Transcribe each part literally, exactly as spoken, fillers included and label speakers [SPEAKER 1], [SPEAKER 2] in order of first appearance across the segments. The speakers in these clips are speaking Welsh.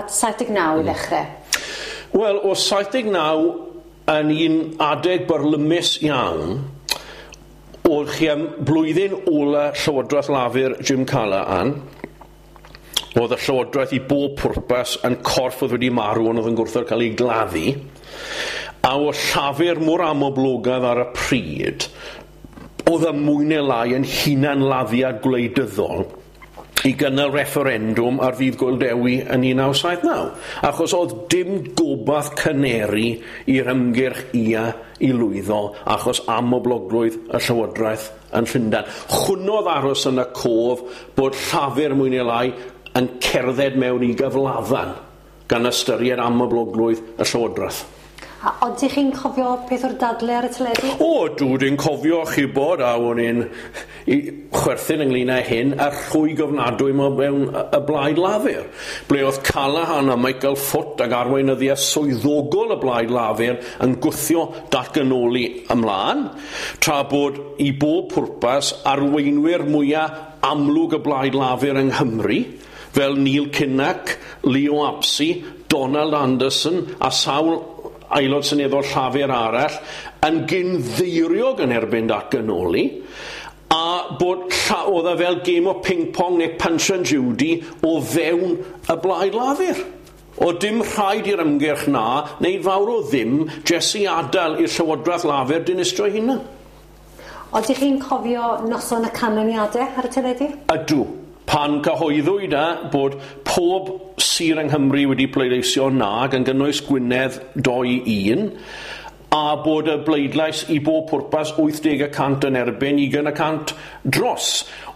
[SPEAKER 1] at saith deg naw i ddechrau.
[SPEAKER 2] Wel, o saith deg naw yn un adeg byrlymus iawn, oedd chi am blwyddyn ola Llywodraeth Lafur Jim Callaghan, oedd y Llywodraeth i bob pwrpas yn corff oedd wedi marw ond oedd yn gwrthod cael ei gladdu, a oedd Llafur mor amhoblogaidd ar y pryd, oedd y mwy neu lai yn hunanladdiad gwleidyddol i gynnal referendwm ar ddydd Gŵyl Dewi yn un naw saith naw, achos oedd dim gobaith caneri i'r ymgyrch ia i lwyddo, achos amhoblogrwydd y Llywodraeth yn Llundain. Hwnnw oedd aros yn y cof bod Llafur mwy neu lai yn cerdded mewn i gyflafan gan ystyried amhoblogrwydd y Llywodraeth.
[SPEAKER 1] A ydych chi'n cofio peth o'r dadle ar y teledu?
[SPEAKER 2] O, dw, dwi'n cofio chi bod, a o'n i'n i chwerthin ynglyn â hyn, a rhwyg ofnadwy mewn y Blaid Lafur, ble oedd Callaghan a Michael Foot ag arweinyddiaeth swyddogol y Blaid Lafur yn gwthio datganoli ymlaen, tra bod i bob pwrpas arweinwyr mwyaf amlwg y Blaid Lafur yng Nghymru, fel Neil Kinnock, Leo Abse, Donald Anderson a sawl aelod seneddol Llafur arall yn gynddeiriog yn erbyn datganoli, a bod lla-, oedd e fel game o ping-pong neu Punch and Judy o fewn y Blaid Lafur. O dim rhaid i'r ymgyrch na wneud fawr o ddim, jyst i adael i'r Llywodraeth Lafur dinistrio hunan.
[SPEAKER 1] Oeddech chi'n cofio noson y canlyniadau ar y teledu?
[SPEAKER 2] Ydw. Pan cyhoeddwyd e bod pob sir yng Nghymru wedi pleidleisio na, gan gynnwys Gwynedd dou un, a bod y bleidlais i bob pwrpas wyth deg y cant yn erbyn, ugain y cant dros.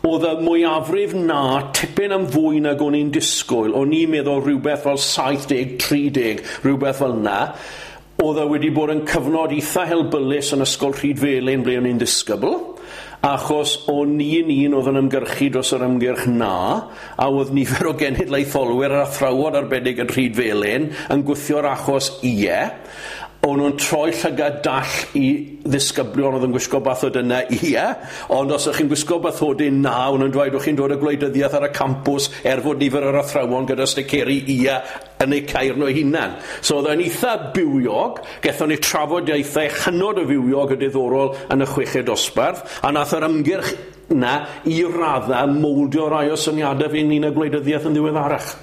[SPEAKER 2] Oedd y mwyafrif na tipyn am fwy nag o'n i'n disgwyl. O'n i'n meddwl rhywbeth fel saith deg, tri deg, rhywbeth fel na. Oedd e wedi bod yn cyfnod eitha helbulus yn Ysgol Rhydfelin ble o'n i'n disgybl, achos o'n i'n un oedd yn ymgyrchu dros yr ymgyrch na, a oedd nifer o genedlaetholwyr a'r athrawon arbennig yn Rhydfelin yn gwthio'r achos ie. O'n nhw'n troi llygad dall i ddisgyblion oedd yn gwisgo bathodynnau ie, ond os ydych chi'n gwisgo bathodyn na, o'n nhw'n dweud o'ch chi'n dod o gwleidyddiaeth ar y campws er fod nifer o'r athrawon gyda sticeri ie yn eu ceir nhw hunan. So oedd e'n eitha bywiog, gethon ni trafodiaethau hynod o fywiog a diddorol yn y chweched dosbarth, a nath yr ymgyrch na i radda mowldio rai o syniadau fi ynglyn â gwleidyddiaeth yn ddiweddarach.